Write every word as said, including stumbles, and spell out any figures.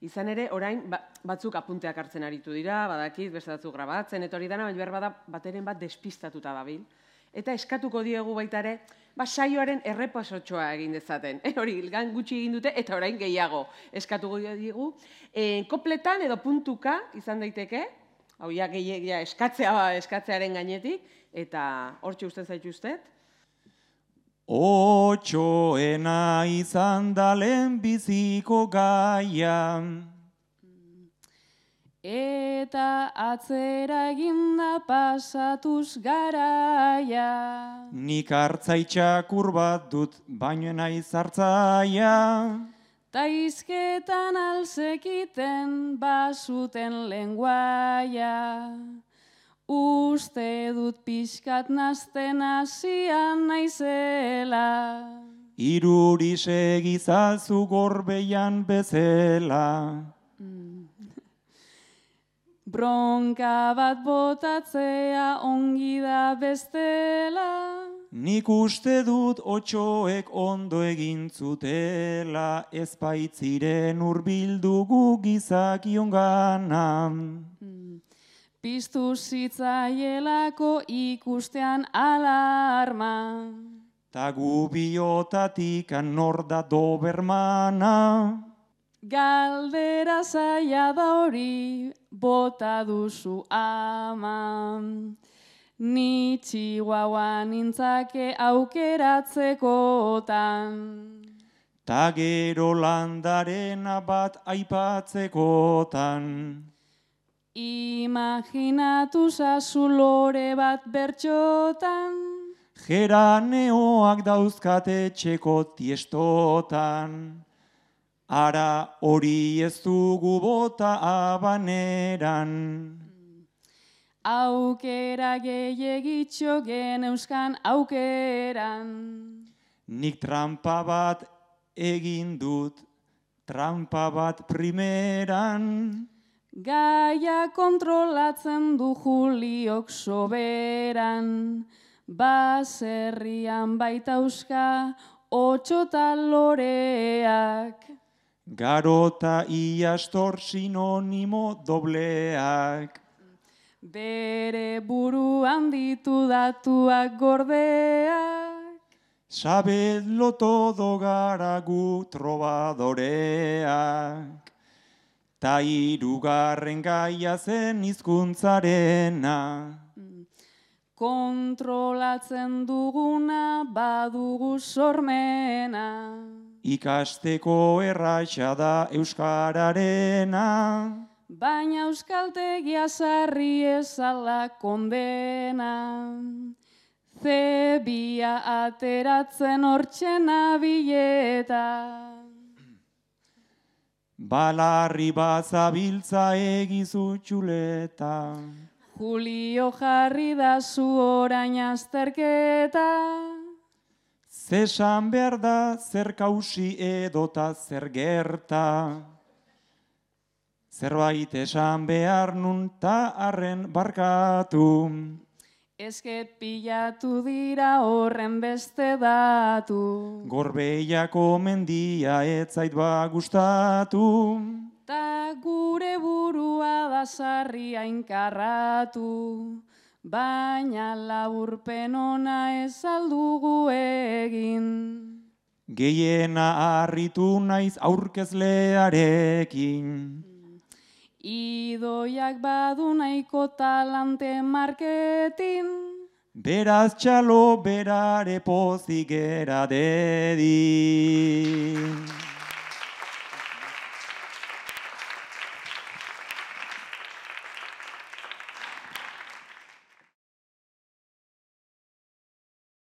Izan ere, orain batzuk apunteak hartzen aritu dira, badakit, beste batzuk grabatzen, eta hori dana, baina behar bada bateren bat despistatuta dabil. Eta eskatuko diegu baita ere, ba, saioaren errepasotxoa egin dezaten. Hori, gan gutxi egin dute, eta orain gehiago eskatuko diegu. Kopletan edo puntuka izan daiteke, hau ja, eskatzearen gainetik, eta hortxe usten zaituztet. Otxoena izan da lehenbiziko gaia. Eta atzera eginda pasatuz garaia. Nik hartzaitxakur bat dut, baino naiz hartzaia. Taizketan alzekiten basuten lenguaia. Uste dut pixkat nazten hasian naizela. Iruri segizazu gorbeian bezela. Bronka bat botatzea ongi da bestela. Nik uste dut otxoek ondo egin zutela, ez baitziren hurbildugu gizakion gana. Piztu zitzaielako ikustean alarma. Ta gu biotatik nor da dobermana. Galdera zaila da hori bota duzu ama. Ni txihuahua nintzake aukeratzekotan. Ta gero landarena bat aipatzekotan. Imaginatu zazu lore bat bertxotan. Geraneoak dauzkate txeko tiestotan. Ara hori ez dugu bota abaneran. Aukera gehiagitxo geneuzkan aukeran. Nik trampa bat egin dut, trampa bat primeran. Gaia kontrolatzen du Juliok soberan, baserrian baita euska otxota loreak. Garota iastor sinonimo dobleak. Bere buruan ditu datuak gordeak. Sabedlo todo gara gu trobadoreak. Ta hirugarren gaia zen hizkuntzarena. Kontrolatzen duguna badugu sormena. Ikasteko erraxa da euskararena. Baina euskaltegia sarri ezala kondena. Zebia ateratzen hortzen abileta. Balarri bazabiltza egizu txuleta. Julio jarri da zu orain azterketa. Zesan behar da zer kausi edota zer gerta. Zerbait esan behar nun ta arren barkatu. Eske pilatu dira horren beste datu. Gorbeiako mendia etzait ba gustatu. Ta gure burua da sarri ainkarratu. Baina laburpen ona ez aldugu egin. Gehiena harritu naiz aurkezlearekin. Idoiak badu nahiko talante marketin. Beraz txalo berare pozik era dedi.